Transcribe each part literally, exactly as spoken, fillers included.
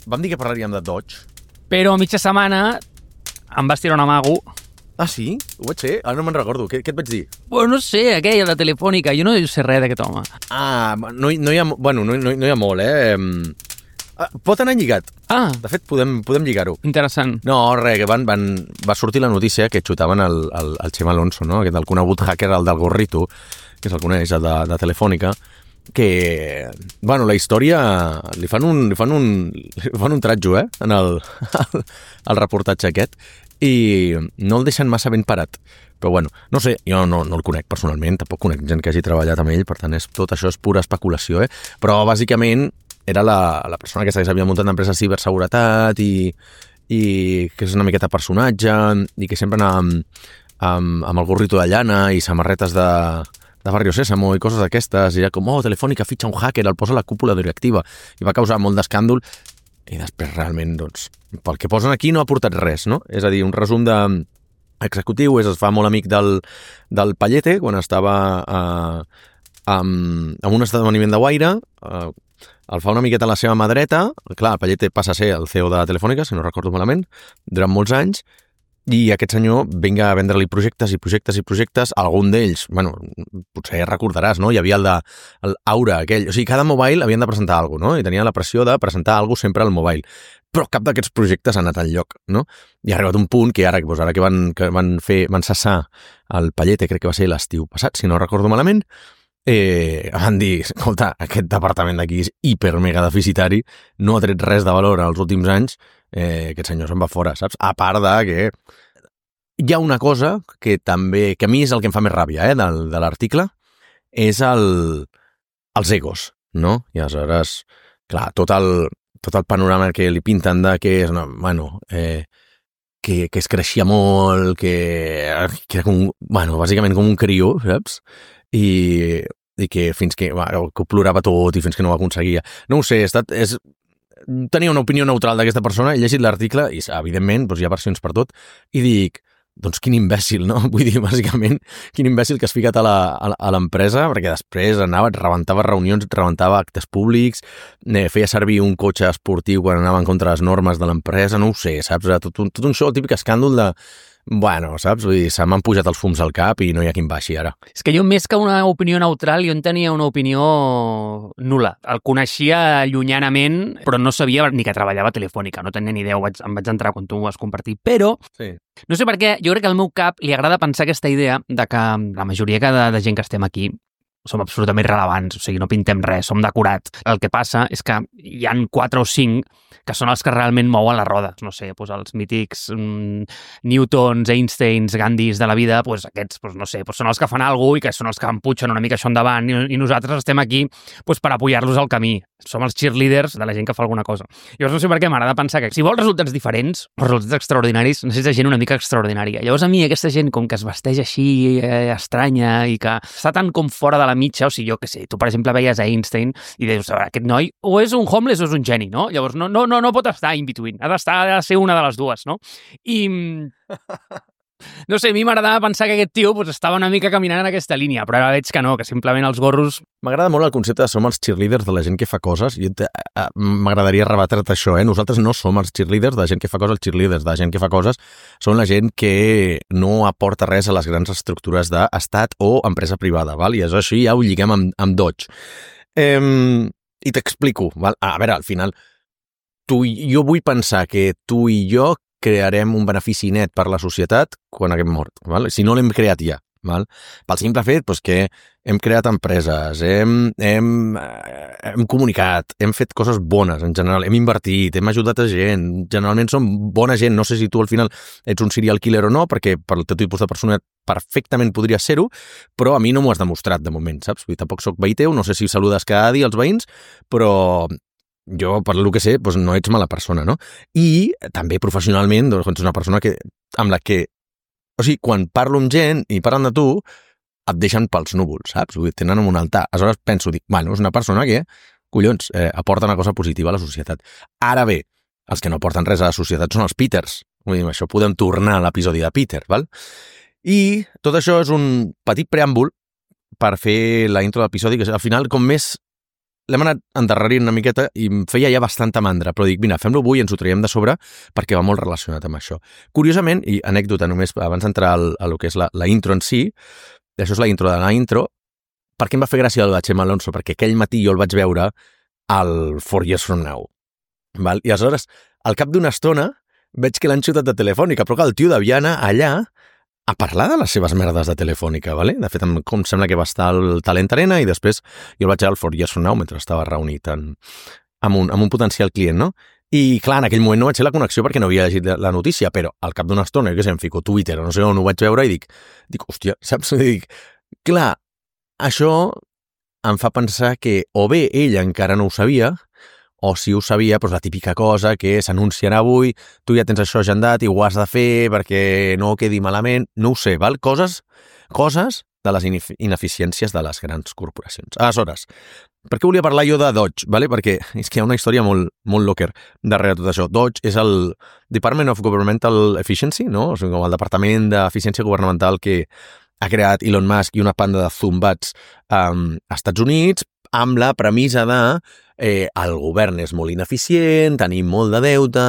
vam dir que parlaríem de Dodge. Però a mitja setmana em vas tirar un amago. Ah, sí? Ho vaig ser? Ara no me'n recordo. Què, què et vaig dir? Bueno, no sé, aquella de Telefònica. Jo no sé res d'aquest home. Ah, no, no hi ha... Bueno, no, no, no hi ha molt, eh? Ah, pot anar lligat. Ah. De fet, podem, podem lligar-ho. Interessant. No, res, que van, van, va sortir la notícia que xutaven el, el, el Xema Alonso, no? Aquest, el conegut hacker, el del gorrito, que se'l coneix, el de, de Telefònica, que, bueno, la història li fan un, li fan un, li fan un tratjo, eh? En el, el, el reportatge aquest, i no el deixen massa ben parat. Però bueno, no sé, jo no, no el conec personalment, tampoc conec gent que hagi treballat amb ell, per tant, és, tot això és pura especulació, eh? Però bàsicament era la, la persona que s'havia muntat d'empresa de ciberseguretat i, i que és una miqueta personatge i que sempre anava amb, amb, amb el gorrito de llana i samarretes de, de Barrio Sésamo i coses d'aquestes, i era com, oh, Telefònica fitxa un hacker, el posa a la cúpula directiva, i va causar molt d'escàndol. I després realment, doncs, pel que posen aquí no ha aportat res, no? És a dir, un resum de executiu és es fa molt amic del, del Pallete quan estava eh, amb, amb un esdeveniment de Guaire, eh, el fa una miqueta a la seva mà dreta, clar, el Pallete passa a ser el C E O de Telefònica, si no recordo malament, durant molts anys, i aquest senyor vinga a vendre-li projectes i projectes i projectes, algun d'ells, bueno, potser recordaràs, no? Hi havia el de l'Aura, aquell, o sigui, cada mobile havien de presentar alguna cosa, no? I tenia la pressió de presentar alguna cosa sempre al mobile, però cap d'aquests projectes ha anat enlloc, no? I ha arribat un punt que ara, doncs ara que van, que van fer, van cessar el Pallete, crec que va ser l'estiu passat, si no recordo malament, eh, van dir, escolta, aquest departament d'aquí és hiper mega deficitari, no ha tret res de valor als últims anys, eh, aquest senyor se'n va fora, saps? A part de que hi ha una cosa que també, que a mi és el que em fa més ràbia, eh, del, de l'article, és el, els egos, no? I aleshores, clar, tot el, tot el panorama que li pinten de que és, no, bueno, eh, que, que es creixia molt, que, que era com, bueno, bàsicament com un crió, saps? I, i que fins que, bueno, que ho plorava tot i fins que no ho aconseguia. No ho sé, he estat, és, tenia una opinió neutral d'aquesta persona, he llegit l'article i, evidentment, doncs hi ha versions per tot, i dic, doncs quin imbècil, no? Vull dir, bàsicament, quin imbècil que has ficat a la, a l'empresa, perquè després anava, rebentava reunions, rebentava actes públics, eh, feia servir un cotxe esportiu quan anava en contra de les normes de l'empresa, no ho sé, saps? Tot un, tot un show, el típic escàndol de... Bueno, saps? Vull dir, se m'han pujat els fums al cap i no hi ha qui em baixi ara. És que jo, més que una opinió neutral, jo en tenia una opinió nul·la. El coneixia llunyanament, però no sabia ni que treballava a Telefònica. No tenia ni idea, vaig, em vaig entrar quan tu ho vas compartir. Però, sí. No sé per què, jo crec que al meu cap li agrada pensar aquesta idea de que la majoria de, de gent que estem aquí som absolutament rellevants, o sigui, no pintem res, som decorats. El que passa és que hi han quatre o cinc que són els que realment mouen les rodes, no sé, doncs els mítics mm, Newtons, Einsteins, Gandhis de la vida, doncs aquests, doncs no sé, doncs són els que fan alguna cosa i que són els que empuixen una mica això endavant i, i nosaltres estem aquí doncs per apoyar-los al camí. Som els cheerleaders de la gent que fa alguna cosa. Llavors no sé per què m'agrada pensar que si vols resultats diferents, o resultats extraordinaris, necessites gent una mica extraordinària. Llavors a mi aquesta gent com que es vesteix així eh, estranya i que està tan com fora de la mitja, o sigui, jo què sé, tu per exemple veies a Einstein i dius, aquest noi o és un homeless o és un geni, no? Llavors no, no, no, no pot estar in between, ha d'estar, ha de ser una de les dues, no? I... No sé, a mi m'agradava pensar que aquest tio pues, estava una mica caminant en aquesta línia, però ara veig que no, que simplement els gorros... M'agrada molt el concepte de som els cheerleaders de la gent que fa coses, i m'agradaria rebatre't això, eh? Nosaltres no som els cheerleaders de la gent que fa coses, els cheerleaders de la gent que fa coses són la gent que no aporta res a les grans estructures d'estat o empresa privada, val? I això així ja ho lliguem amb, amb Dodge. Eh, I t'explico, val? A veure, al final, tu, jo vull pensar que tu i jo crearem un benefici net per la societat quan haguem mort, val? Si no l'hem creat ja, val? Pel simple fet doncs, que hem creat empreses, hem, hem, hem comunicat, hem fet coses bones en general, hem invertit, hem ajudat a gent, generalment som bona gent, no sé si tu al final ets un serial killer o no, perquè per el teu tipus de persona perfectament podria ser-ho, però a mi no m'ho has demostrat de moment, saps? Vull dir, tampoc soc veí teu, no sé si saludes cada dia als veïns, però... jo, per el que sé, doncs no ets mala persona, no? I també professionalment, doncs ets una persona que, amb la que... O sigui, quan parlo amb gent i parlen de tu, et deixen pels núvols, saps? Vull dir, tenen un altar. Aleshores penso, dic, bueno, és una persona que, collons, eh, aporta una cosa positiva a la societat. Ara bé, els que no aporten res a la societat són els Peters. Vull dir, això podem tornar a l'episodi de Peter, val? I tot això és un petit preàmbul per fer la intro de l'episodi, que al final, com més l'hem anat endarrerint una miqueta i em feia ja bastanta mandra, però dic, mira, fem-lo avui i ens ho traiem de sobre perquè va molt relacionat amb això. Curiosament, i anècdota només abans d'entrar al, a lo que és la, la intro en si, això és la intro de la intro, per què em va fer gràcia el de Chema Alonso? Perquè aquell matí jo el vaig veure al Four Years From Now. Val? I aleshores, al cap d'una estona, veig que l'han xutat de Telefònica, però que el tio devia anar allà a parlar de les seves merdes de Telefònica, ¿vale? De fet, em, com sembla que va estar al Talent Arena i després jo el vaig veure al Four Years From Now mentre estava reunit en, amb, un, amb un potencial client, no? I, clar, en aquell moment no vaig fer la connexió perquè no havia llegit la notícia, però al cap d'una estona, jo què sé, em fico Twitter o no sé on ho vaig veure i dic, dic hòstia, saps? I dic, clar, això em fa pensar que o bé ell encara no ho sabia, o si ho sabia, doncs la típica cosa que s'anunciarà avui, tu ja tens això agendat i ho has de fer perquè no quedi malament, no ho sé, val? Coses, coses de les ineficiències de les grans corporacions. Aleshores, per què volia parlar jo de Dodge? Vale? Perquè és que hi ha una història molt, molt locker darrere tot això. Dodge és el Department of Governmental Efficiency, no? O sigui, com el Departament d'Eficiència Governamental que ha creat Elon Musk i una panda de zumbats um, als Estats Units amb la premissa de eh, el govern és molt ineficient, tenim molt de deute,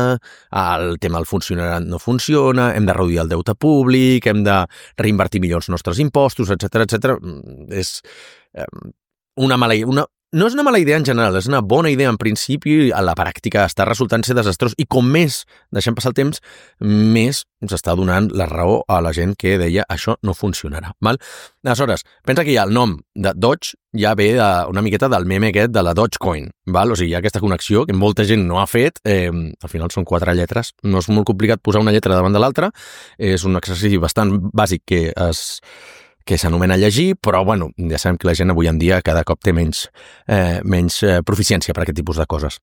el tema del funcionariat no funciona, hem de reduir el deute públic, hem de reinvertir millor els nostres impostos, etcètera, etcètera. És eh, una mala una No és una mala idea en general, és una bona idea en principi, a la pràctica està resultant ser desastrós i com més deixem passar el temps, més s'està donant la raó a la gent que deia això no funcionarà. Val? Aleshores, pensa que ja el nom de Dodge ja ve de, una miqueta del meme aquest de la Dogecoin. Val? O sigui, hi ha aquesta connexió que molta gent no ha fet, eh, al final són quatre lletres, no és molt complicat posar una lletra davant de l'altra, és un exercici bastant bàsic que es... que s'anomena llegir, però bueno, ja sabem que la gent avui en dia cada cop té menys, eh, menys eh, proficiència per aquest tipus de coses.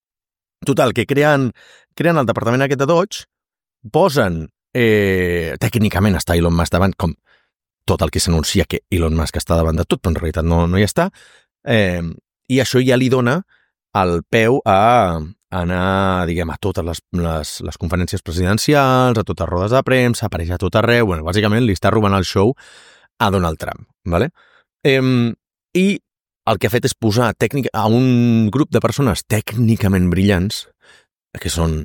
Total, que creen, creen el departament aquest de Dodge, posen, eh, tècnicament està Elon Musk davant, com tot el que s'anuncia que Elon Musk està davant de tot, però en realitat no, no hi està, eh, i això ja li dona el peu a anar, diguem, a totes les, les, les conferències presidencials, a totes rodes de premsa, apareix a tot arreu, bueno, bàsicament li està robant el show a Donald Trump, ¿vale? Eh, I el que ha fet és posar tècnica, a un grup de persones tècnicament brillants, que són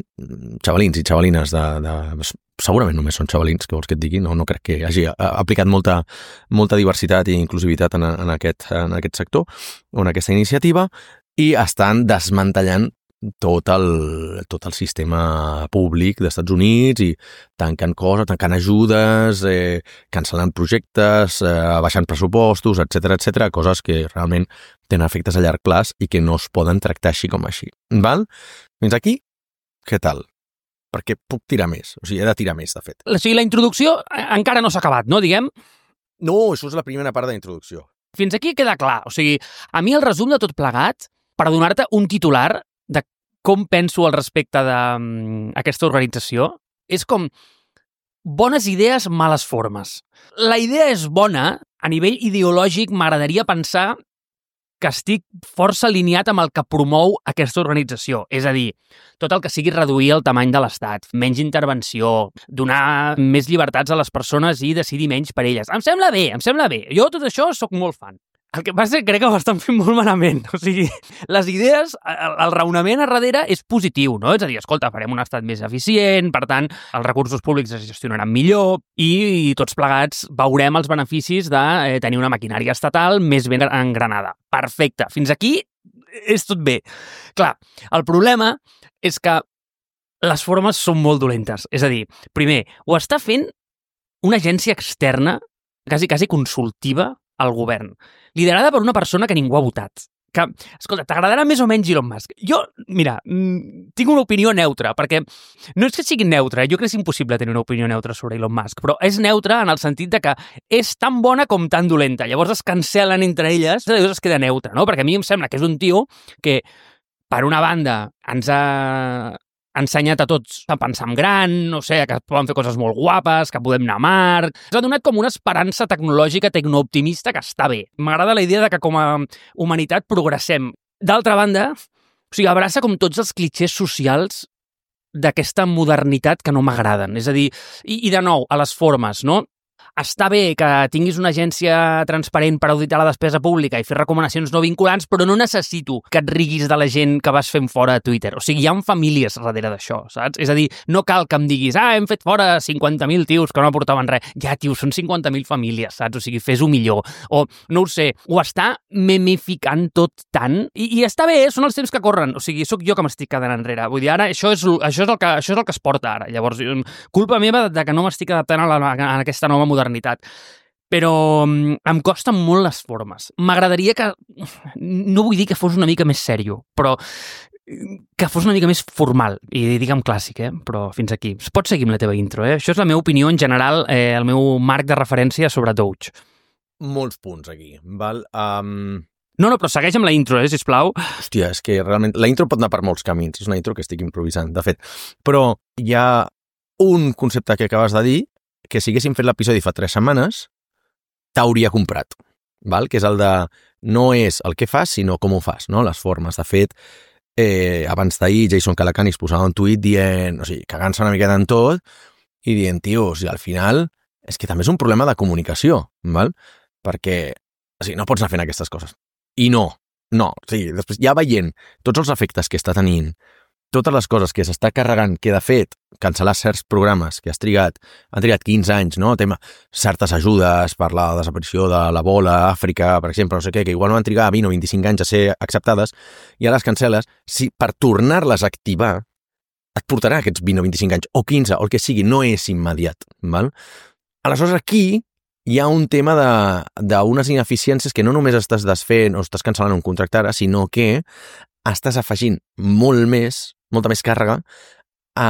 xavalins i xavalines de, de... Segurament només són xavalins, que vols que et digui, no, no crec que hagi aplicat molta, molta diversitat i inclusivitat en, en, aquest, en aquest sector o en aquesta iniciativa, i estan desmantellant tot el, tot el sistema públic dels Estats Units i tancant coses, tancant ajudes, eh, cancel·lant projectes, eh, baixant pressupostos, etcètera, etcètera, coses que realment tenen efectes a llarg plaç i que no es poden tractar així com així. Val? Fins aquí, què tal? Perquè puc tirar més, o sigui, he de tirar més, de fet. O sigui, la introducció encara no s'ha acabat, no, diguem? No, això és la primera part de la introducció. Fins aquí queda clar. O sigui, a mi el resum de tot plegat, per donar-te un titular de com penso al respecte d'aquesta organització, és com bones idees, males formes. La idea és bona, a nivell ideològic m'agradaria pensar que estic força alineat amb el que promou aquesta organització. És a dir, tot el que sigui reduir el tamany de l'Estat, menys intervenció, donar més llibertats a les persones i decidir menys per elles. Em sembla bé, em sembla bé. Jo tot això sóc molt fan. El que passa és que crec que ho estan fent molt malament. O sigui, les idees, el, el raonament a darrere és positiu, no? És a dir, escolta, farem un estat més eficient, per tant, els recursos públics es gestionaran millor i, i tots plegats veurem els beneficis de eh, tenir una maquinària estatal més ben engranada. Perfecte. Fins aquí és tot bé. Clar, el problema és que les formes són molt dolentes. És a dir, primer, ho està fent una agència externa, quasi, quasi consultiva, al govern, liderada per una persona que ningú ha votat. Que, escolta, t'agradarà més o menys Elon Musk. Jo, mira, tinc una opinió neutra, perquè no és que sigui neutra, jo crec que és impossible tenir una opinió neutra sobre Elon Musk, però és neutra en el sentit de que és tan bona com tan dolenta. Llavors es cancel·len entre elles, llavors es queda neutra, no? Perquè a mi em sembla que és un tio que, per una banda, ens ha ensenyat a tots a pensar en gran, no sé, que poden fer coses molt guapes, que podem anar a mar. Ens ha donat com una esperança tecnològica tecnooptimista que està bé. M'agrada la idea de que com a humanitat progressem. D'altra banda, o sigui, abraça com tots els clixés socials d'aquesta modernitat que no m'agraden. És a dir, i, i de nou, a les formes, no? està bé que tinguis una agència transparent per auditar la despesa pública i fer recomanacions no vinculants, però no necessito que et riguis de la gent que vas fent fora a Twitter. O sigui, hi ha famílies darrere d'això, saps? És a dir, no cal que em diguis, ah, hem fet fora cinquanta mil tios que no aportaven res. Ja, tio, són cinquanta mil famílies, saps? O sigui, fes-ho millor. O, no ho sé, ho està memificant tot tant, i, i està bé, són els temps que corren. O sigui, sóc jo que m'estic quedant enrere. Vull dir, ara, això és, això és, el, que, això és el que es porta ara. Llavors, culpa meva de que no m'estic adaptant a, la, a aquesta nova modernitat. Però em costen molt les formes. M'agradaria que... No vull dir que fos una mica més sèrio, però que fos una mica més formal, i diguem clàssic, eh? Però fins aquí. Pots seguir amb la teva intro, eh? Això és la meva opinió en general, eh, el meu marc de referència sobre Doge. Molts punts aquí, val? Um... No, no, però segueix amb la intro, eh, sisplau. Hòstia, és que realment... La intro pot anar per molts camins. És una intro que estic improvisant, de fet. Però hi ha un concepte que acabes de dir que si haguéssim fet l'episodi fa tres setmanes t'hauria comprat, val? Que és el de no és el que fas, sinó com ho fas, no? Les formes. De fet, eh, abans d'ahir Jason Calacanis posava un tuit dient, o sigui, cagant-se una miqueta en tot i dient, tio, o sigui, al final és que també és un problema de comunicació, val? Perquè, o sigui, no pots anar fent aquestes coses. I no, no, o sigui, després ja veient tots els efectes que està tenint, totes les coses que s'està carregant, que de fet, cancel·lar certs programes que has trigat, han trigat quinze anys, no? Tema, certes ajudes per la desaparició de l'Ebola a Àfrica, per exemple, no sé què, que igual no van trigar vint o vint-i-cinc anys a ser acceptades, i ara les cancel·les, si per tornar-les a activar et portarà aquests vint o vint-i-cinc anys, o quinze, o el que sigui, no és immediat, val? Aleshores, aquí hi ha un tema d'unes ineficiències que no només estàs desfent o estàs cancel·lant un contracte ara, sinó que estàs afegint molt més, molta més càrrega a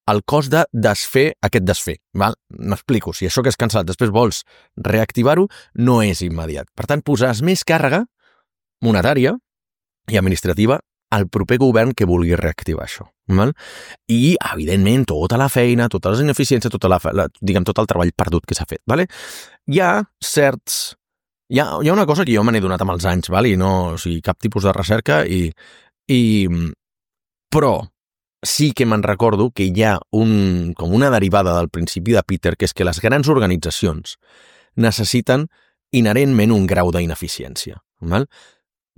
el cost de desfer aquest desfer. M'explico, si això que has cancel·lat després vols reactivar-ho, no és immediat. Per tant, posaràs més càrrega monetària i administrativa al proper govern que vulgui reactivar això. Val? I, evidentment, tota la feina, totes les ineficiències, tota la, la, diguem, tot el treball perdut que s'ha fet. Vale? Hi ha certs... Hi ha, hi ha una cosa que jo me n'he donat amb els anys, val? I no, o sigui, cap tipus de recerca, i, i, però sí que me'n recordo que hi ha un, com una derivada del principi de Peter, que és que les grans organitzacions necessiten inherentment un grau d'ineficiència. Val?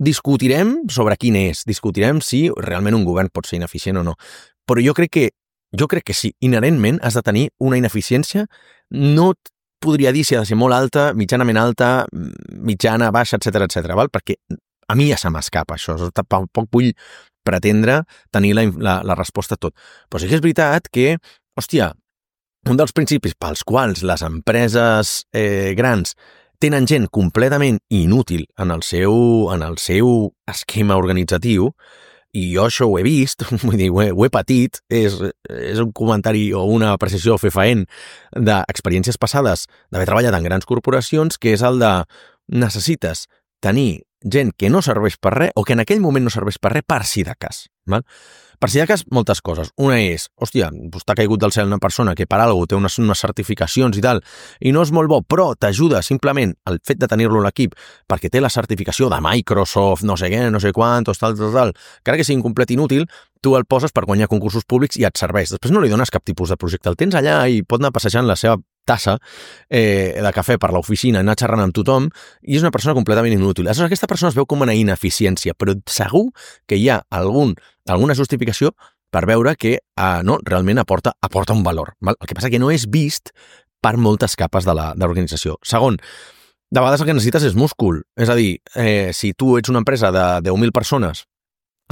Discutirem sobre quin és, discutirem si realment un govern pot ser ineficient o no, però jo crec que, jo crec que sí, inherentment has de tenir una ineficiència, no podria dir si ha de ser molt alta, mitjanament alta, mitjana, baixa, etcètera, etcètera, val? Perquè a mi ja se m'escapa això, tampoc vull pretendre tenir la, la, la resposta a tot. Però sí que és veritat que, hòstia, un dels principis pels quals les empreses eh, grans tenen gent completament inútil en el seu, en el seu esquema organitzatiu, i jo això ho he vist, vull dir, ho he, ho he patit, és, és un comentari o una apreciació fefaent d'experiències passades d'haver treballat en grans corporacions, que és el de necessites tenir gent que no serveix per res o que en aquell moment no serveix per res per si de cas. Val? Per si de cas, moltes coses. Una és, hòstia, doncs t'ha caigut del cel una persona que per alguna cosa té unes, unes certificacions i tal, i no és molt bo, però t'ajuda simplement el fet de tenir-lo a l'equip perquè té la certificació de Microsoft, no sé què, no sé quantos, tal, tal, tal, que ara que sigui incomplet i inútil, tu el poses per guanyar concursos públics i et serveix. Després no li dones cap tipus de projecte. El tens allà i pot anar passejant la seva tassa eh, de cafè per l'oficina, anar xerrant amb tothom, i és una persona completament inútil. Aleshores, aquesta persona es veu com una ineficiència, però segur que hi ha algun, alguna justificació per veure que eh, no, realment aporta, aporta un valor. Val? El que passa que no és vist per moltes capes de l'organització. Segon, de vegades el que necessites és múscul. És a dir, eh, si tu ets una empresa de deu mil persones,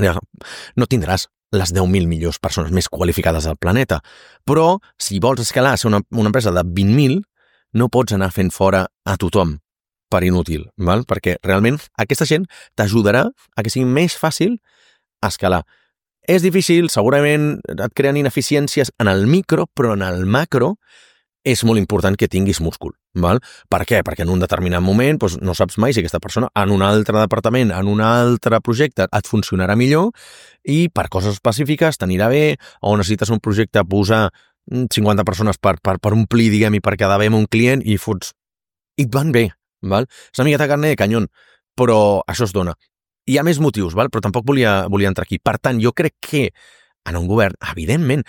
no tindràs les deu mil millors persones més qualificades del planeta. Però, si vols escalar a ser una, una empresa de vint mil, no pots anar fent fora a tothom per inútil, val? Perquè realment aquesta gent t'ajudarà a que sigui més fàcil escalar. És difícil, segurament et creen ineficiències en el micro, però en el macro és molt important que tinguis múscul. Val? Per què? Perquè en un determinat moment doncs, no saps mai si aquesta persona en un altre departament, en un altre projecte et funcionarà millor i per coses específiques t'anirà bé, o necessites un projecte posar cinquanta persones per, per, per omplir, diguem, i per quedar bé amb un client i fots... i et van bé. Val? És una miqueta carne de canyón, però això es dona. Hi ha més motius, val? Però tampoc volia, volia entrar aquí. Per tant, jo crec que en un govern, evidentment,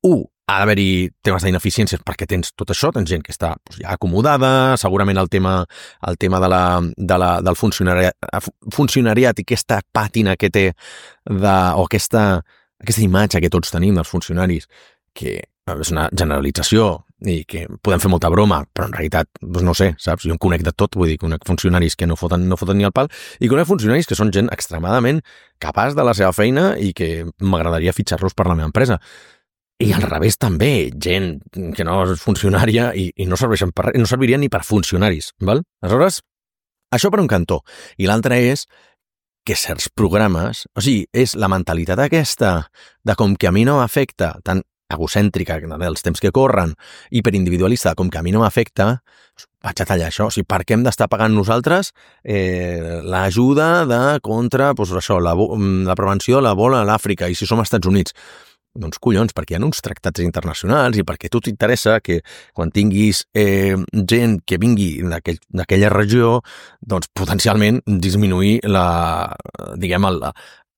un, ha d'haver-hi temes d'ineficiències perquè tens tot això, tens gent que està doncs, ja acomodada, segurament el tema, el tema de la, de la, del funcionariat, funcionariat i aquesta pàtina que té de, o aquesta, aquesta imatge que tots tenim dels funcionaris, que és una generalització i que podem fer molta broma, però en realitat, doncs no sé, saps? Jo em conec de tot, vull dir, conec funcionaris que no foten, no foten ni el pal i conec funcionaris que són gent extremadament capaç de la seva feina i que m'agradaria fitxar-los per la meva empresa. I al revés també, gent que no és funcionària i, i no serveixen per res, no servirien ni per funcionaris, val? Aleshores, això per un cantó. I l'altre és que certs programes, o sigui, és la mentalitat aquesta de com que a mi no m'afecta, tan egocèntrica dels temps que corren, hiperindividualista, com que a mi no m'afecta, vaig a tallar això. O sigui, per què hem d'estar pagant nosaltres eh, l'ajuda de contra doncs això, la, la prevenció de la bola a l'Àfrica i si som als Estats Units? Doncs collons, perquè hi ha uns tractats internacionals i perquè a tu t'interessa que quan tinguis eh, gent que vingui d'aquell, d'aquella regió, doncs potencialment disminuir la, diguem, el,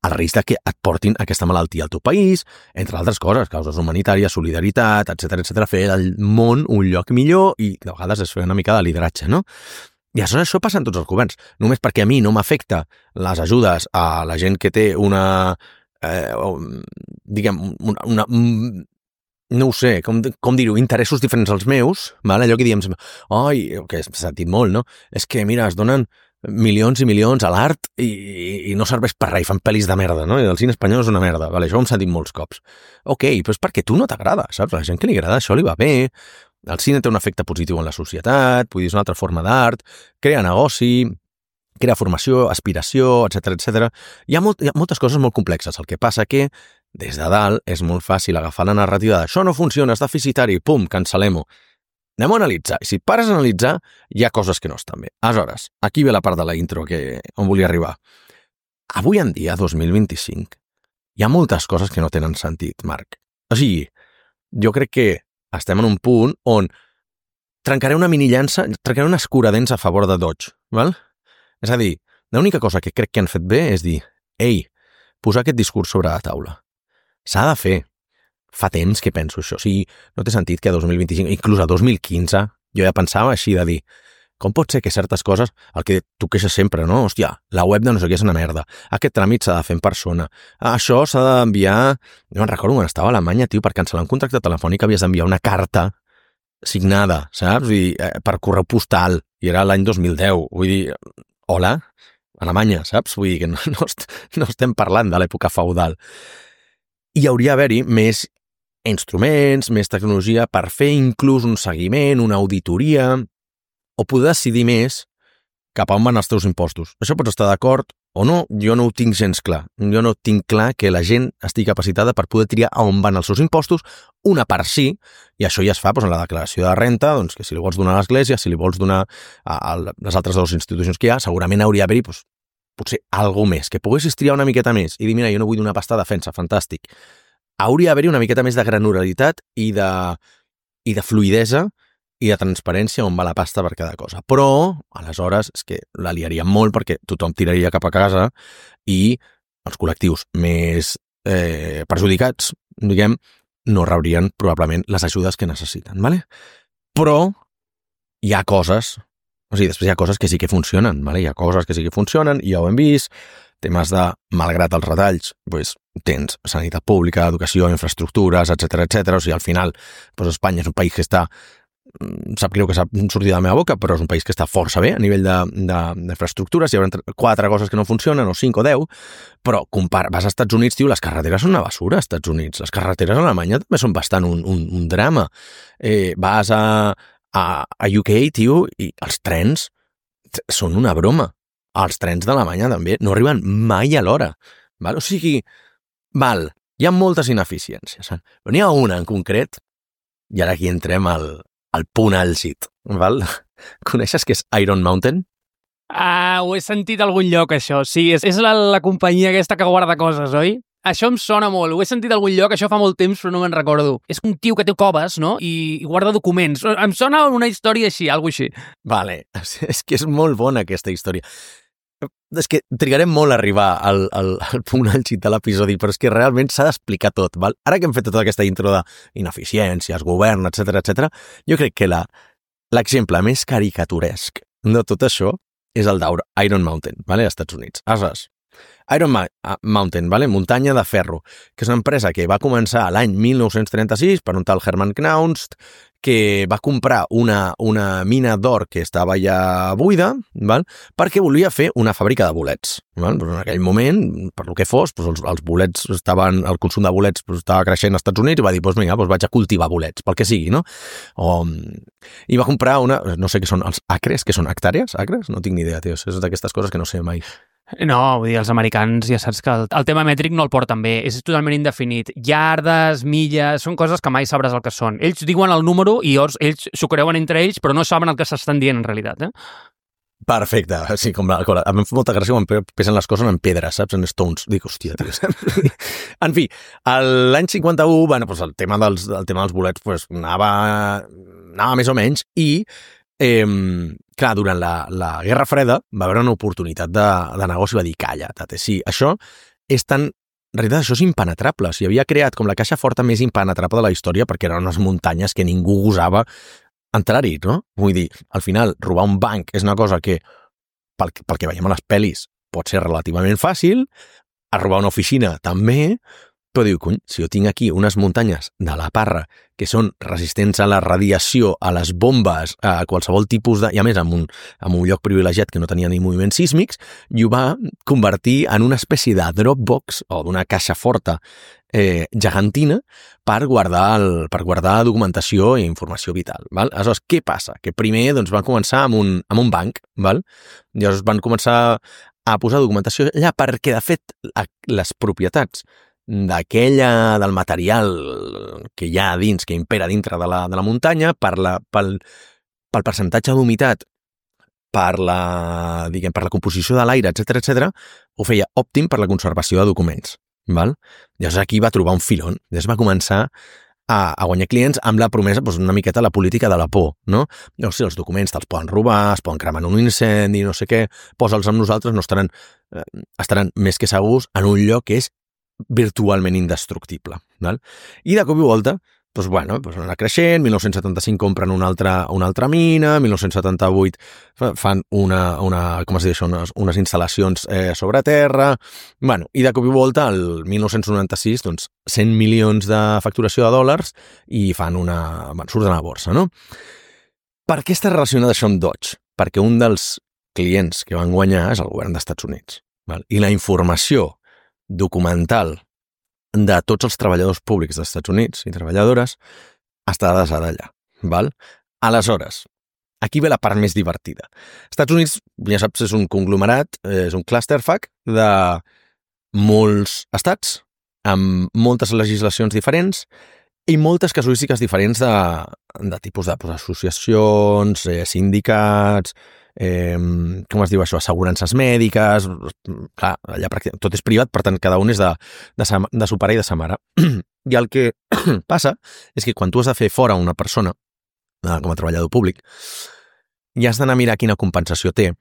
el risc de que et portin aquesta malaltia al teu país, entre altres coses, causes humanitàries, solidaritat, etcètera, etcètera, fer el món un lloc millor i de vegades es fer una mica de lideratge, no? I aleshores això passa en tots els governs. Només perquè a mi no m'afecta les ajudes a la gent que té una... Eh, diguem, una, una, no ho sé, com, com dir-ho, interessos diferents als meus, val? Allò que diem, oi, que s'ha sentit molt, no? És que, mira, es donen milions i milions a l'art i, i no serveix per res, i fan pel·lis de merda, no? I el cine espanyol és una merda, vale? Això ho hem sentit molts cops. Ok, però és perquè tu no t'agrada, saps? A la gent que li agrada això li va bé, el cine té un efecte positiu en la societat, vull dir, és una altra forma d'art, crea negoci, crea formació, aspiració, etcètera, etcètera. Hi ha, molt, hi ha moltes coses molt complexes. El que passa que, des de dalt, és molt fàcil agafar la narrativa de això no funciona, és deficitari, pum, cancel·lem-ho. Anem a analitzar. I si et pares a analitzar, hi ha coses que no estan bé. Aleshores, aquí ve la part de la intro que, on volia arribar. Avui en dia, dos mil vint-i-cinc, hi ha moltes coses que no tenen sentit, Marc. O sigui, jo crec que estem en un punt on trencaré una mini llança, trencaré un escuradents a favor de Dodge, val? És a dir, l'única cosa que crec que han fet bé és dir, ei, posar aquest discurs sobre la taula. S'ha de fer. Fa temps que penso això. O sigui, no té sentit que a dos mil vint-i-cinc, inclús a dos mil quinze, jo ja pensava així de dir, com pot ser que certes coses, el que tu queixes sempre, no? Hòstia, la web de no sé què és una merda. Aquest tràmit s'ha de fer en persona. Això s'ha d'enviar... Jo me'n recordo quan estava a Alemanya, tio, per cancel·lar un contracte telefònic havies d'enviar una carta signada, saps? Vull dir, per correu postal. I era l'any dos mil deu. Vull dir... Hola, Alemanya, saps? Vull dir que no, no, est no estem parlant de l'època feudal. I hauria d'haver-hi més instruments, més tecnologia per fer inclús un seguiment, una auditoria, o poder decidir més cap a on van els teus impostos. Això pots estar d'acord o no, jo no ho tinc gens clar. Jo no tinc clar que la gent estigui capacitada per poder triar a on van els seus impostos, una part sí, i això ja es fa doncs, en la declaració de renta, doncs, que si li vols donar a l'Església, si li vols donar a, a les altres dues institucions que hi ha, segurament hauria d'haver-hi doncs, potser alguna més, que poguessis triar una miqueta més i dir, mira, jo no vull donar pasta a defensa, fantàstic. Hauria d'haver-hi una miqueta més de granularitat i de, i de fluidesa i de transparència on va la pasta per cada cosa. Però, aleshores, és que la liaríem molt perquè tothom tiraria cap a casa i els col·lectius més eh, perjudicats, diguem, no rebrien probablement les ajudes que necessiten, ¿vale? Però hi ha coses, o sigui, després hi ha coses que sí que funcionen, ¿vale? Hi ha coses que sí que funcionen, i ja ho hem vist, temes de, malgrat els retalls, doncs, tens sanitat pública, educació, infraestructures, etcètera, etcètera. O sigui, al final, doncs Espanya és un país que està, sap greu que s'ha sortit de la meva boca, però és un país que està força bé a nivell d'infraestructures, hi haurà quatre coses que no funcionen, o cinc o deu, però compar, vas als Estats Units, tio, les carreteres són una basura als Estats Units, les carreteres a Alemanya també són bastant un, un, un drama. Eh, vas a, a, a U K, tio, i els trens són una broma. Els trens d'Alemanya també no arriben mai a l'hora. Val? O sigui, val, hi ha moltes ineficiències, però n'hi ha una en concret, i ara aquí entrem al, al punt àlgid, val? Coneixes què és Iron Mountain? Ah, ho he sentit a algun lloc, això. Sí, és, és la, la companyia aquesta que guarda coses, oi? Això em sona molt, ho he sentit a algun lloc, això fa molt temps, però no me'n recordo. És un tio que té coves, no?, i, i guarda documents. Em sona una història així, alguna així. Vale, és que és molt bona aquesta història. és que trigarem molt a arribar al, al, al punt àlgid de l'episodi, però és que realment s'ha d'explicar tot, val? Ara que hem fet tota aquesta intro d'ineficiències, govern, etcètera, etcètera, jo crec que la, l'exemple més caricaturesc de tot això és el d'Iron Mountain, vale? als Estats Units. Aleshores, Iron Ma- Mountain, vale? muntanya de ferro, que és una empresa que va començar l'any mil nou-cents trenta-sis per un tal Herman Knaust, que va comprar una, una mina d'or que estava ja buida, val? perquè volia fer una fàbrica de bolets. Val? Però en aquell moment, per lo que fos, doncs els, els bolets estaven, el consum de bolets doncs estava creixent als Estats Units i va dir, doncs vinga, doncs vaig a cultivar bolets, pel que sigui, no? O, I va comprar una, no sé què són, els acres, que són hectàrees? Acres? No tinc ni idea, tio, és d'aquestes coses que no sé mai. No, vull dir, els americans ja saps que el, el tema mètric no el porten bé, és totalment indefinit. Yardes, milles, són coses que mai sabràs el que són. Ells diuen el número i ells, ells s'ho creuen entre ells, però no saben el que s'estan dient en realitat, eh? Perfecte, sí, com la, com la, a mi em fa molta gràcia quan pesen les coses en pedres, saps, en stones. Dic, hòstia, tio, saps? En fi, l'any cinquanta-u, bueno, doncs el tema dels, el tema dels bolets pues, anava, anava més o menys i Eh, clar, durant la, la Guerra Freda va haver una oportunitat de, de negoci i va dir, calla, tate, sí, això és tan... En realitat, això és impenetrable. S'hi havia creat com la caixa forta més impenetrable de la història perquè eren unes muntanyes que ningú gosava entrar-hi, no? Vull dir, al final, robar un banc és una cosa que, pel, pel que veiem a les pel·lis, pot ser relativament fàcil, a robar una oficina també, però diu, cony, si jo tinc aquí unes muntanyes de la Parra que són resistents a la radiació, a les bombes, a qualsevol tipus de... I a més, en un, en un lloc privilegiat que no tenia ni moviments sísmics, i ho va convertir en una espècie de Dropbox o d'una caixa forta eh, gegantina per guardar, el, per guardar documentació i informació vital. Val? Aleshores, què passa? Que primer doncs, van començar amb un, amb un banc, val? Llavors van començar a posar documentació allà perquè, de fet, les propietats d'aquella, del material que hi ha dins, que impera dintre de la, de la muntanya, per la, pel, pel percentatge d'humitat, per la, diguem, per la composició de l'aire, etcètera, etcètera, ho feia òptim per la conservació de documents. Val? Llavors aquí va trobar un filon. Llavors va començar a, a guanyar clients amb la promesa, doncs, una miqueta la política de la por, no? Llavors, si els documents te'ls poden robar, es poden cremar en un incendi, no sé què, posa'ls amb nosaltres, no estaran, eh, estaran més que segurs en un lloc que és virtualment indestructible. Val? I de cop i volta, doncs, bueno, doncs anar creixent, mil nou-cents setanta-cinc compren una altra, una altra mina, mil nou-cents setanta-vuit fan una, una com es diu això, unes, unes instal·lacions eh, sobre terra, bueno, i de cop i volta, el mil nou-cents noranta-sis, doncs, cent milions de facturació de dòlars i fan una... Bueno, surten a la borsa, no? Per què està relacionat això amb Dodge? Perquè un dels clients que van guanyar és el govern dels Estats Units. Val? I la informació documental de tots els treballadors públics dels Estats Units i treballadores està desada allà. Val? Aleshores, aquí ve la part més divertida. Estats Units, ja saps, és un conglomerat, és un clusterfuck de molts estats, amb moltes legislacions diferents i moltes casuístiques diferents de, de tipus de pues, associacions, eh, sindicats, eh, com es diu això, assegurances mèdiques, clar, allà tot és privat, per tant, cada un és de, de, sa, de su pare i de sa mare. I el que passa és que quan tu has de fer fora una persona, com a treballador públic, i has d'anar a mirar quina compensació té,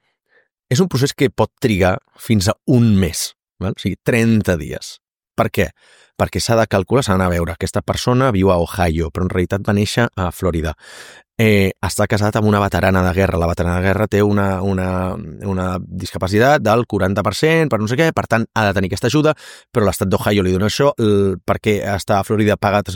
és un procés que pot trigar fins a un mes, val? O sigui, trenta dies. Per què? Perquè s'ha de calcular, s'ha d'anar a veure, aquesta persona viu a Ohio, però en realitat va néixer a Florida. Eh, està casat amb una veterana de guerra. La veterana de guerra té una, una, una discapacitat del quaranta per cent, per no sé què, per tant, ha de tenir aquesta ajuda, però l'estat d'Ohio li dona això, el, perquè està a Florida pagat...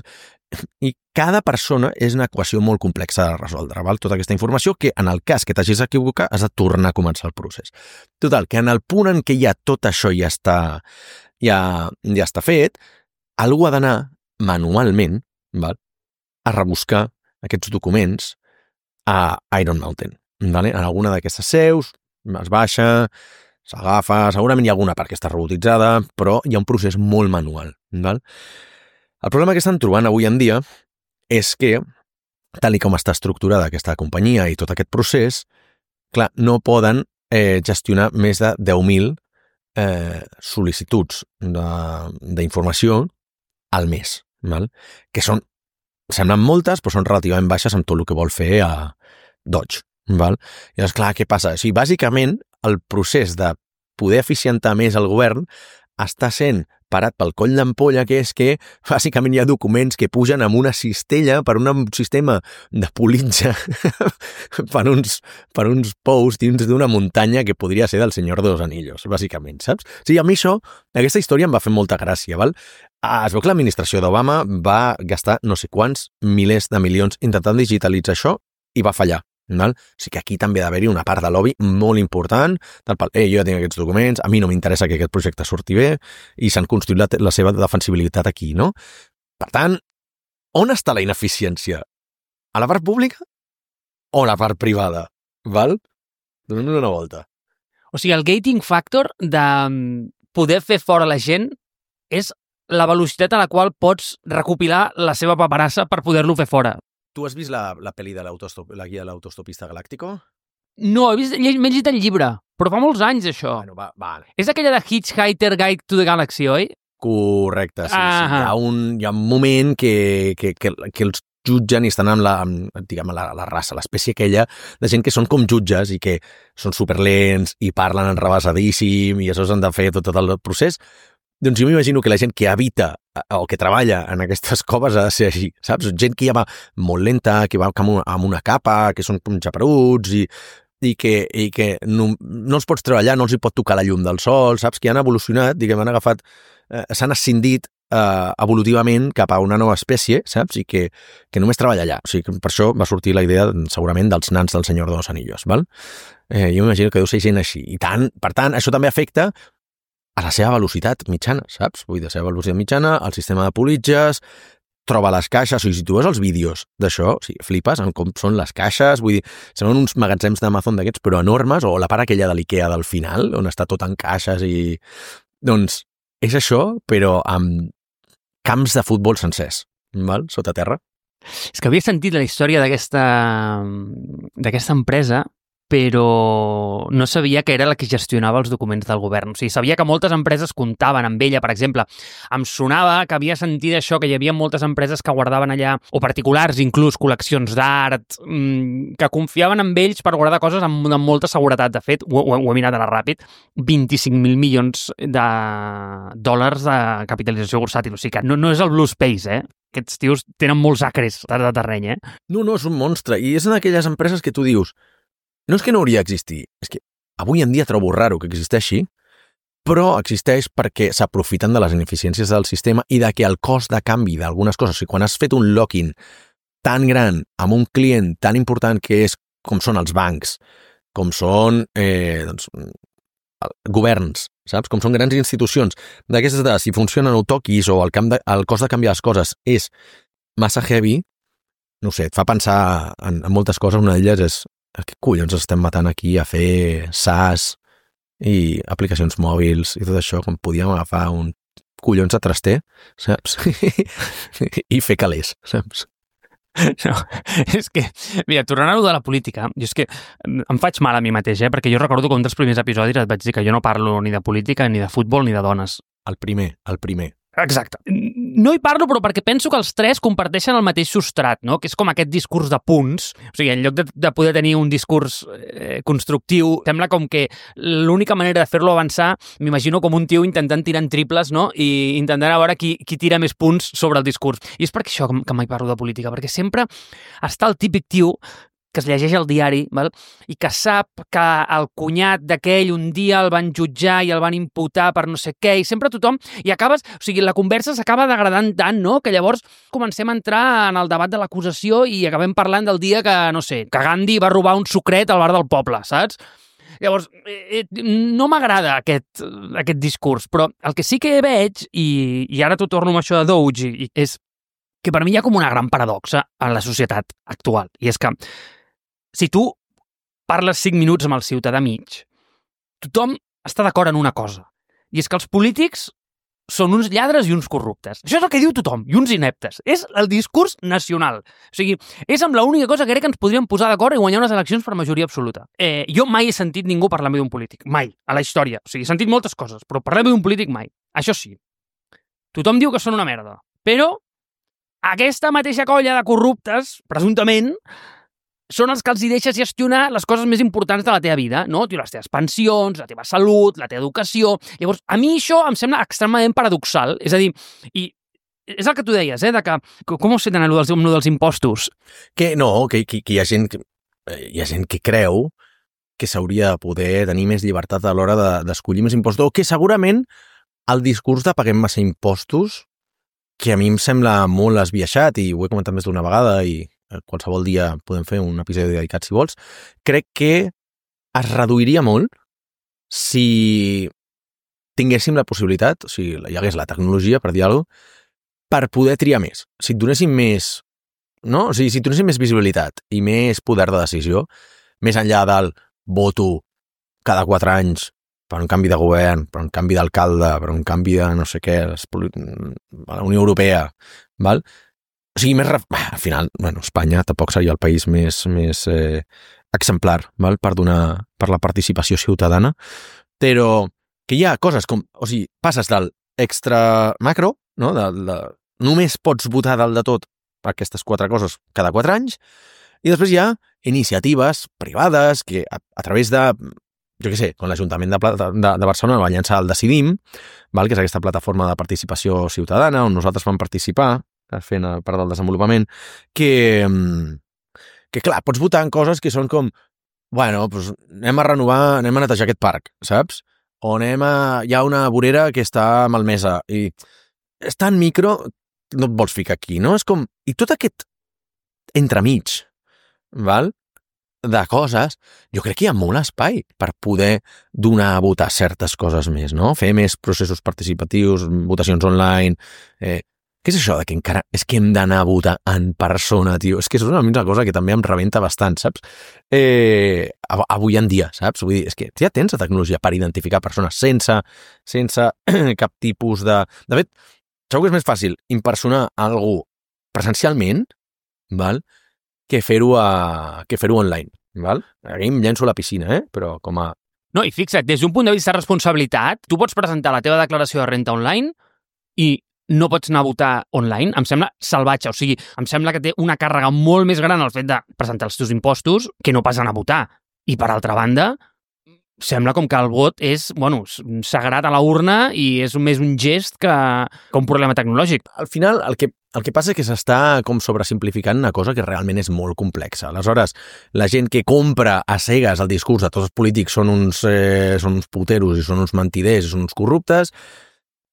I cada persona és una equació molt complexa de resoldre, val? Tota aquesta informació que, en el cas que t'hagis d'equivocar, has de tornar a començar el procés. Total, que en el punt en què ja tot això ja està, ja, ja està fet, algú ha d'anar manualment, val? A rebuscar aquests documents a Iron Mountain. Vale? En alguna d'aquestes seus es baixa, s'agafa, segurament hi ha alguna part que està robotitzada, però hi ha un procés molt manual. Val? El problema que estan trobant avui en dia és que, tal i com està estructurada aquesta companyia i tot aquest procés, clar, no poden eh, gestionar més de deu mil eh, sol·licituds d'informació al mes, val? Que són, semblen moltes, però són relativament baixes amb tot el que vol fer a Dodge. Val? I llavors, clar, què passa? O sigui, bàsicament, el procés de poder eficientar més el govern, està sent parat pel coll d'ampolla, que és que bàsicament hi ha documents que pugen amb una cistella per un sistema de politja per uns, per uns pous dins d'una muntanya que podria ser del Senyor de los Anillos, bàsicament, saps? O sigui, a mi això, aquesta història em va fer molta gràcia, val? Es veu que l'administració d'Obama va gastar no sé quants milers de milions intentant digitalitzar això i va fallar. Val? O sigui que aquí també ha d'haver-hi una part de lobby molt important, del pal, eh, jo ja tinc aquests documents, a mi no m'interessa que aquest projecte surti bé, i s'han construït la, la seva defensibilitat aquí, no? Per tant, on està la ineficiència? A la part pública o a la part privada? Val? Donem-nos una volta. O sigui, el gating factor de poder fer fora la gent és la velocitat a la qual pots recopilar la seva paperassa per poder-lo fer fora. Tu has vist la, la pel·li de la guia de l'autostopista galàctico? No, he vist, m'he llegit el llibre, però fa molts anys, això. Bueno, va, va. És aquella de Hitchhiker Guide to the Galaxy, oi? Correcte, sí. sí. Ah. Hi, ha un, hi ha un moment que, que, que, que els jutgen i estan amb la, amb, diguem, la, la raça, l'espècie aquella de gent que són com jutges i que són superlents i parlen enrevessadíssim i això s'han de fer tot, tot el procés. Doncs jo m'imagino que la gent que habita o que treballa en aquestes coves ha de ser així, saps? Gent que ja va molt lenta, que va amb una capa, que són com xaperuts i, i que, i que no, no els pots treballar, no els hi pot tocar la llum del sol, saps? Que han evolucionat, diguem, han agafat, eh, s'han ascendit eh, evolutivament cap a una nova espècie, saps? I que, que només treballa allà. O sigui, que per això va sortir la idea, segurament, dels nans del Senyor de los Anillos, val? Eh, jo m'imagino que deu ser gent així. I tant, per tant, això també afecta a la seva velocitat mitjana, saps? Vull dir, la seva velocitat mitjana, el sistema de politges, troba les caixes, o sigui, si tu veus els vídeos d'això, o sigui, flipes en com són les caixes, vull dir, semblen uns magatzems d'Amazon d'aquests, però enormes, o la part aquella de l'Ikea del final, on està tot en caixes i... Doncs és això, però amb camps de futbol sencers, val? Sota terra. És que havia sentit la història d'aquesta d'aquesta empresa, però no sabia que era la que gestionava els documents del govern. O sigui, sabia que moltes empreses comptaven amb ella, per exemple. Em sonava que havia sentit això, que hi havia moltes empreses que guardaven allà, o particulars, inclús col·leccions d'art, que confiaven en ells per guardar coses amb, amb molta seguretat. De fet, ho, ho he mirat ara ràpid, vint-i-cinc mil milions de dòlars de capitalització bursàtil. O sigui que no, no és el Blue Space, eh? Aquests tios tenen molts acres de terreny, eh? No, no, és un monstre. I és en aquelles empreses que tu dius no és que no hauria d'existir, és que avui en dia trobo raro que existeixi, però existeix perquè s'aprofiten de les ineficiències del sistema i de que el cost de canvi d'algunes coses, o sigui, quan has fet un lock-in tan gran amb un client tan important que és com són els bancs, com són eh, doncs, governs, saps? Com són grans institucions, d'aquestes de si funcionen o toquis o el, camp de, el cost de canviar les coses és massa heavy, no sé, et fa pensar en, en moltes coses, una d'elles és què collons estem matant aquí a fer SaaS i aplicacions mòbils i tot això, quan podíem agafar un collons de traster, saps? I fer calés, saps? No, és que, mira, tornant a lo de la política, jo és que em faig mal a mi mateix, eh? Perquè jo recordo que un dels primers episodis et vaig dir que jo no parlo ni de política, ni de futbol, ni de dones. El primer, el primer. Exacte. No hi parlo, però perquè penso que els tres comparteixen el mateix substrat, no? Que és com aquest discurs de punts. O sigui, en lloc de, de poder tenir un discurs eh, constructiu, sembla com que l'única manera de fer-lo avançar, m'imagino com un tio intentant tirar en triples, no? I intentant a veure qui, qui tira més punts sobre el discurs. I és per això que, que mai parlo de política, perquè sempre està el típic tio que es llegeix el diari, val? I que sap que el cunyat d'aquell un dia el van jutjar i el van imputar per no sé què, i sempre tothom... I acabes... O sigui, la conversa s'acaba degradant tant, no?, que llavors comencem a entrar en el debat de l'acusació i acabem parlant del dia que, no sé, que Gandhi va robar un sucret al bar del poble, saps? Llavors, eh, no m'agrada aquest, aquest discurs, però el que sí que veig, i, i ara t'ho torno amb això de Doge, i, és que per mi hi ha com una gran paradoxa en la societat actual, i és que si tu parles cinc minuts amb el ciutadà mig, tothom està d'acord en una cosa, i és que els polítics són uns lladres i uns corruptes. Això és el que diu tothom, i uns ineptes. És el discurs nacional. O sigui, és amb l'única cosa que crec que ens podríem posar d'acord i guanyar unes eleccions per majoria absoluta. Eh, jo mai he sentit ningú parlar-me d'un polític. Mai. A la història. O sigui, he sentit moltes coses, però parlar-me d'un polític mai. Això sí. Tothom diu que són una merda. Però aquesta mateixa colla de corruptes, presumptament, són els que els hi deixes gestionar les coses més importants de la teva vida, no? Tio, les teves pensions, la teva salut, la teva educació... Llavors, a mi això em sembla extremadament paradoxal. És a dir, i és el que tu deies, eh, de que... Com ho sé d'anar amb el dels impostos? Que no, que, que, que hi ha gent que, hi ha gent que creu que s'hauria de poder tenir més llibertat a l'hora de, d'escollir més impostos, o que segurament el discurs de paguem massa impostos, que a mi em sembla molt esbiaixat, i ho he comentat més d'una vegada, i qualsevol dia podem fer un episodi dedicat, si vols, crec que es reduiria molt si tinguéssim la possibilitat, o sigui, hi hagués la tecnologia, per dir alguna cosa, per poder triar més. Si et donessin més, no? O sigui, si et donessin més visibilitat i més poder de decisió, més enllà del voto cada quatre anys per un canvi de govern, per un canvi d'alcalde, per un canvi de no sé què, la Unió Europea, val? O sigui, més... Al final, bueno, Espanya tampoc seria el país més, més eh, exemplar, val? Per donar, per la participació ciutadana, però que hi ha coses com... O sigui, passes del extra macro, no? De, de, només pots votar dalt de tot aquestes quatre coses cada quatre anys, i després hi ha iniciatives privades que a, a través de, jo què sé, com l'Ajuntament de, de, de Barcelona va llançar el Decidim, val? Que és aquesta plataforma de participació ciutadana on nosaltres vam participar, fent part del desenvolupament, que, que clar, pots votar en coses que són com, bueno, doncs anem a renovar, anem a netejar aquest parc, saps? O anem a... Hi ha una vorera que està malmesa i és tan micro, no et vols ficar aquí, no? És com... I tot aquest entremig, val? De coses, jo crec que hi ha molt espai per poder donar a votar certes coses més, no? Fer més processos participatius, votacions online... Eh, què és això de que encara... És que hem d'anar a votar en persona, tio. És que és una mitja cosa que també em rebenta bastant, saps? Eh, avui en dia, saps? Vull dir, és que ja tens la tecnologia per identificar persones sense, sense cap tipus de... De fet, segur que és més fàcil impersonar algú presencialment, val? Que fer-ho a... que fer-ho online, val? Aquí em llenço a la piscina, eh? Però com a... No, i fixa't, des d'un punt de vista de responsabilitat, tu pots presentar la teva declaració de renta online i no pots anar a votar online, em sembla salvatge. O sigui, em sembla que té una càrrega molt més gran el fet de presentar els teus impostos que no pas anar a votar. I, per altra banda, sembla com que el vot és, bueno, sagrat a la urna i és més un gest que, que un problema tecnològic. Al final, el que, el que passa és que s'està com sobresimplificant una cosa que realment és molt complexa. Aleshores, la gent que compra a cegues el discurs de tots els polítics són uns, eh, són uns puteros i són uns mentiders i són uns corruptes,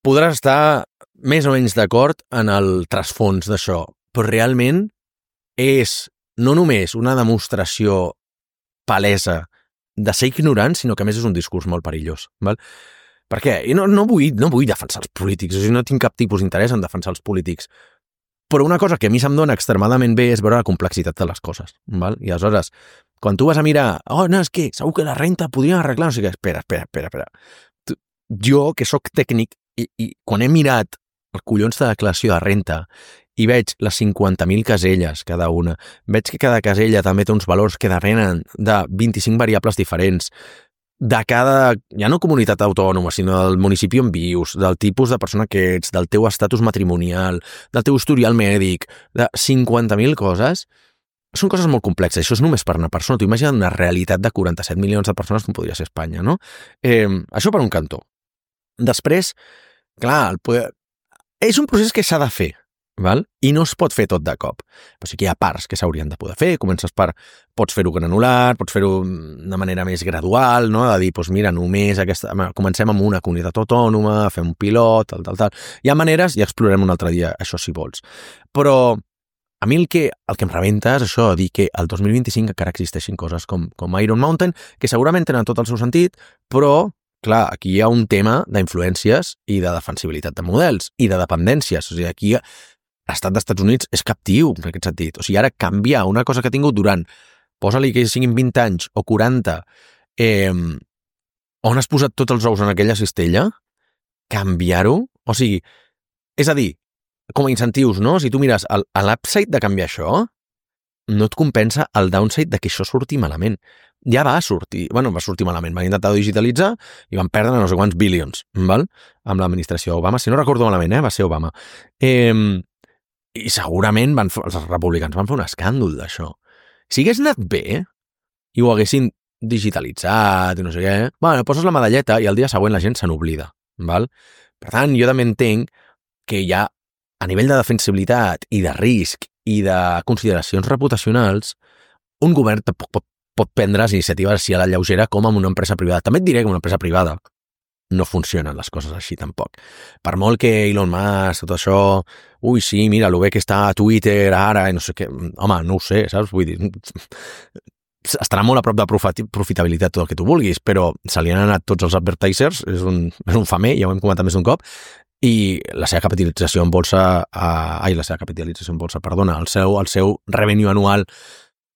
podràs estar més o menys d'acord en el trasfons d'això, però realment és no només una demostració palesa de ser ignorant, sinó que a més és un discurs molt perillós. Val? Per què? I no, no, vull, no vull defensar els polítics, o sigui, no tinc cap tipus d'interès en defensar els polítics, però una cosa que a mi se'm dona extremadament bé és veure la complexitat de les coses. Val? I aleshores, quan tu vas a mirar, oh, no, és que segur que la renta podria arreglar, no sé què, espera, espera, espera, espera. Tu, jo, que sóc tècnic, i, i quan he mirat el collons de declaració de renta i veig les cinquanta mil caselles cada una, veig que cada casella també té uns valors que depenen de vint-i-cinc variables diferents, de cada, ja no comunitat autònoma, sinó del municipi on vius, del tipus de persona que ets, del teu estatus matrimonial, del teu historial mèdic, de cinquanta mil coses, són coses molt complexes. Això és només per una persona. Tu imagina't una realitat de quaranta-set milions de persones com podria ser Espanya, no? Eh, això per un cantó. Després, clar, el poder... és un procés que s'ha de fer, val? I no es pot fer tot de cop. Però sí que hi ha parts que s'haurien de poder fer. Comences per... Pots fer-ho granular, pots fer-ho de manera més gradual, no? De dir, doncs mira, només aquesta... comencem amb una comunitat autònoma, fem un pilot, tal, tal, tal. Hi ha maneres, i explorarem un altre dia, això si vols. Però a mi el que, el que em rebenta és això, dir que el dos mil vint-i-cinc encara existeixin coses com, com Iron Mountain, que segurament tenen tot el seu sentit, però clar, aquí hi ha un tema d'influències i de defensibilitat de models i de dependències. O sigui, aquí l'estat dels Estats Units és captiu en aquest sentit. O sigui, ara canviar una cosa que ha tingut durant, posa-li que siguin vint anys o quaranta, eh, on has posat tots els ous en aquella cistella, canviar-ho, o sigui, és a dir, com a incentius, no? Si tu mires l'upside de canviar això, no et compensa el downside de que això surti malament. Ja va sortir, bueno, va sortir malament, van intentar digitalitzar i van perdre no sé quants billions, val? Amb l'administració Obama, si no recordo malament, eh? Va ser Obama. Eh, I segurament van, els republicans van fer un escàndol d'això. Si hagués anat bé i ho haguessin digitalitzat i no sé què, bueno, poses la medalleta i el dia següent la gent se n'oblida, val? Per tant, jo també entenc que hi ha, a nivell de defensibilitat i de risc i de consideracions reputacionals, un govern pot, pot, pot prendre les iniciatives així a la lleugera com amb una empresa privada. També et diré que una empresa privada no funcionen les coses així tampoc. Per molt que Elon Musk, tot això, ui, sí, mira, lo bé que està a Twitter ara, i no sé què, home, no ho sé, saps? Vull dir, estarà molt a prop de profitabilitat tot el que tu vulguis, però se li han anat tots els advertisers, és un, és un famer, ja ho hem comentat més d'un cop, i la seva capitalització en bolsa, eh, ai, la seva capitalització en bolsa, perdona, el seu, el seu revenue anual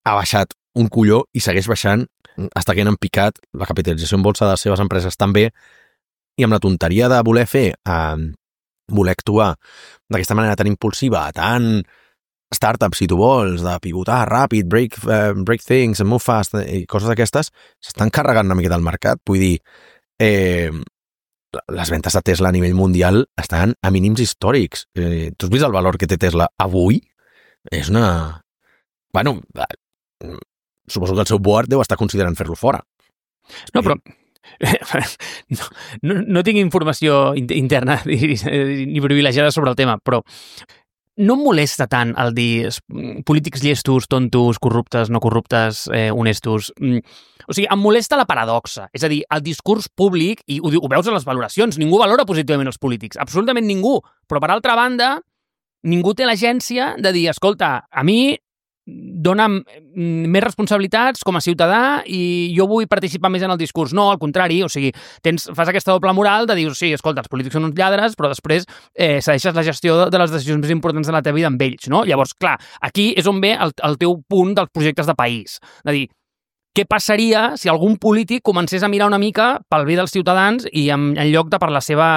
ha baixat un colló i segueix baixant fins que han picat la capitalització en bolsa de les seves empreses també, i amb la tonteria de voler fer, eh, voler actuar d'aquesta manera tan impulsiva, tan startup, si tu vols, de pivotar ràpid, break, uh, break things, move fast, i coses d'aquestes, s'estan carregant una mica del mercat. Vull dir, eh, les ventes de Tesla a nivell mundial estan a mínims històrics. Eh, tu has vist el valor que té Tesla avui? És una... Bueno, suposo que el seu board deu estar considerant fer-lo fora. No, però... No, no, no tinc informació interna ni, ni privilegiada sobre el tema, però no em molesta tant el dir polítics llestos, tontos, corruptes, no corruptes, eh, honestos. O sigui, em molesta la paradoxa. És a dir, el discurs públic, i ho, ho veus a les valoracions, ningú valora positivament els polítics, absolutament ningú. Però, per altra banda, ningú té l'agència de dir, escolta, a mi dona'm més responsabilitats com a ciutadà i jo vull participar més en el discurs. No, al contrari, o sigui, tens, fas aquesta doble moral de dir, sí, escolta, els polítics són uns lladres, però després eh, cedeixes la gestió de les decisions més importants de la teva vida amb ells, no? Llavors, clar, aquí és on ve el, el teu punt dels projectes de país. De dir, què passaria si algun polític comencés a mirar una mica pel bé dels ciutadans i en, en lloc de per la seva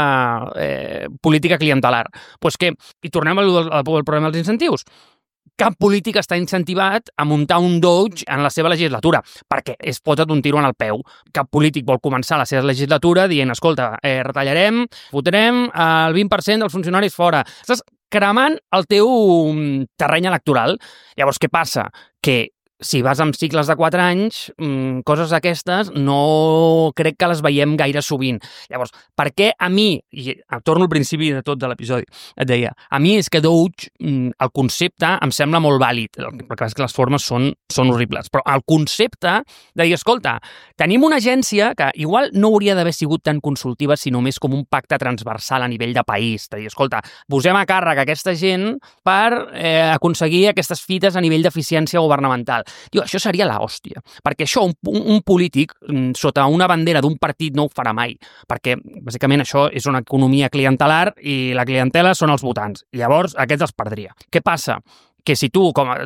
eh, política clientelar? Pues que, i tornem al, al, al problema dels incentius. Cap polític està incentivat a muntar un Doge en la seva legislatura, perquè es pot un tiro en el peu. Cap polític vol començar la seva legislatura dient, escolta, eh, retallarem, fotrem el vint per cent dels funcionaris fora. Estàs cremant el teu terreny electoral. Llavors, què passa? Que si vas amb cicles de quatre anys, mmm, coses d'aquestes no crec que les veiem gaire sovint. Llavors, per què a mi, i torno al principi de tot de l'episodi, et deia, a mi és que Doge, mmm, el concepte em sembla molt vàlid, perquè és que les formes són, són horribles, però el concepte de dir, escolta, tenim una agència que igual no hauria d'haver sigut tan consultiva, sinó més com un pacte transversal a nivell de país, de dir, escolta, posem a càrrec aquesta gent per eh, aconseguir aquestes fites a nivell d'eficiència governamental. Diu, això seria l'hòstia, perquè això un, un polític sota una bandera d'un partit no ho farà mai, perquè bàsicament això és una economia clientelar i la clientela són els votants. Llavors, aquests els perdria. Què passa? Que si tu, com a,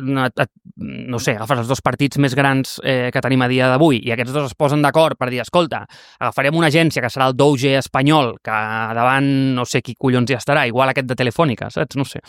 no sé, agafes els dos partits més grans eh, que tenim a dia d'avui i aquests dos es posen d'acord per dir, escolta, agafarem una agència que serà el Doge espanyol, que davant no sé qui collons hi estarà, igual aquest de Telefònica, saps? No sé.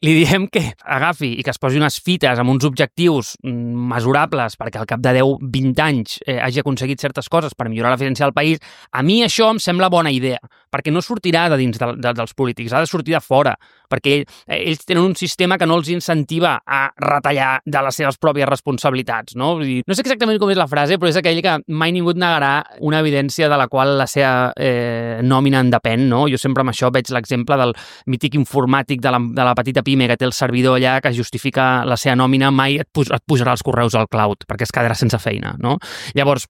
Li diem que agafi i que es posi unes fites amb uns objectius mesurables perquè al cap de deu vint anys eh, hagi aconseguit certes coses per millorar l'eficiència del país. A mi això em sembla bona idea, perquè no sortirà de dins de, de, dels polítics, ha de sortir de fora, perquè eh, ells tenen un sistema que no els incentiva a retallar de les seves pròpies responsabilitats, no? Vull dir, no sé exactament com és la frase, però és aquell que mai ningú et negarà una evidència de la qual la seva eh, nòmina en depèn, no? Jo sempre amb això veig l'exemple del mític informàtic de la, de la petita pime que té el servidor allà que justifica la seva nòmina, mai et, puj, et pujarà els correus al cloud, perquè es quedarà sense feina, no? Llavors,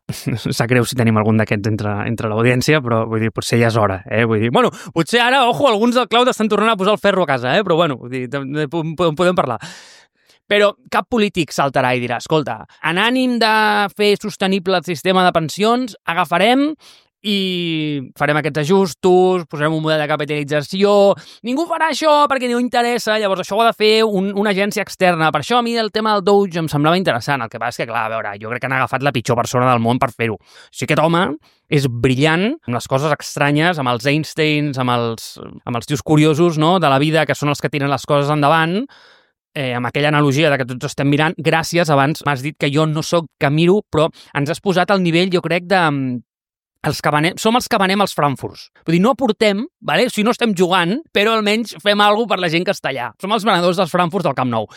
sap greu si tenim algun d'aquests entre, entre l'audiència, però vull dir, potser ja és hora, eh? Vull dir, bueno, potser ara, ojo, alguns del cloud estan tornant a posar el ferro a casa, eh? Però bueno, vull dir, en podem parlar. Però cap polític saltarà i dirà, escolta, en ànim de fer sostenible el sistema de pensions, agafarem i farem aquests ajustos, posarem un model de capitalització, ningú farà això perquè no interessa, llavors això ho ha de fer un, una agència externa. Per això a mi el tema del Doge em semblava interessant, el que passa és que, clar, a veure, jo crec que han agafat la pitjor persona del món per fer-ho. O sigui, aquest home és brillant amb les coses estranyes, amb els Einsteins, amb els, amb els tios curiosos, no?, de la vida, que són els que tiren les coses endavant, eh, amb aquella analogia de que tots estem mirant. Gràcies, abans m'has dit que jo no sóc que miro, però ens has posat al nivell, jo crec, de... Els que venem, som els que venem els Frankfurts. Vull dir, no aportem, vale? O sigui, no estem jugant, però almenys fem alguna cosa per la gent que està allà. Som els venedors dels Frankfurts del Camp Nou.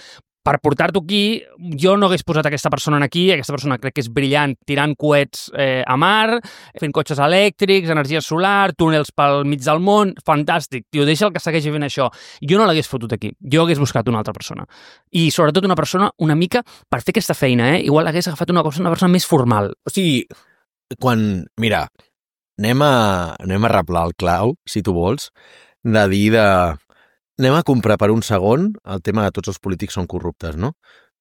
per portar-t'ho aquí, jo no hagués posat aquesta persona aquí, aquesta persona crec que és brillant, tirant coets eh, a mar, fent cotxes elèctrics, energia solar, túnels pel mig del món, fantàstic, tio, deixa el que segueixi fent això. Jo no l'hagués fotut aquí, jo hagués buscat una altra persona. I sobretot una persona una mica, per fer aquesta feina, eh, igual hagués agafat una, cosa, una persona més formal. O sigui, quan, mira, anem a, anem a replar el clau, si tu vols, de dir de... Anem a comprar per un segon el tema de tots els polítics són corruptes, no?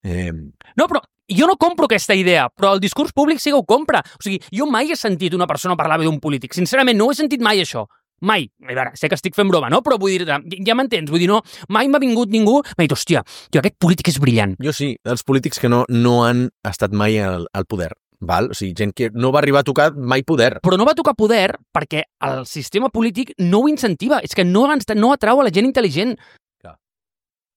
Eh... No, però jo no compro aquesta idea, però el discurs públic sí que ho compra. O sigui, jo mai he sentit una persona parlar bé d'un polític. Sincerament, no ho he sentit mai, això. Mai. A veure, sé que estic fent broma, no? Però vull dir, ja m'entens, vull dir, no, mai m'ha vingut ningú, m'ha dit, hòstia, tio, aquest polític és brillant. Jo sí, els polítics que no, no han estat mai al, al poder. Val? O sigui, gent que no va arribar a tocar mai poder. Però no va tocar poder perquè el sistema polític no ho incentiva. És que no, no atrau a la gent intel·ligent. Clar.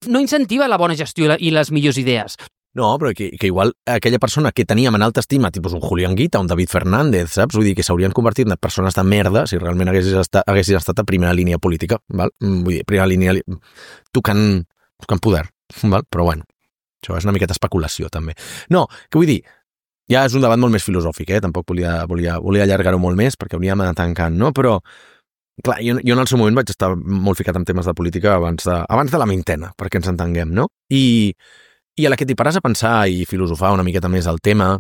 No incentiva la bona gestió i, la, i les millors idees. No, però que, que igual aquella persona que teníem en alta estima, tipus un Julián Guita, un David Fernández, saps? Vull dir que s'haurien convertit en persones de merda si realment haguessis estat, haguessis estat a primera línia política, val? Vull dir, primera línia tocant, tocant poder, val? Però bueno, això és una miqueta especulació, també. No, que vull dir, ja és un debat molt més filosòfic, eh? Tampoc volia, volia, volia allargar-ho molt més perquè hauríem d'anar tancant, no? Però, clar, jo, jo en el seu moment vaig estar molt ficat en temes de política abans de, abans de la vintena, perquè ens entenguem, no? I, i a la que t'hi pares a pensar i filosofar una miqueta més el tema,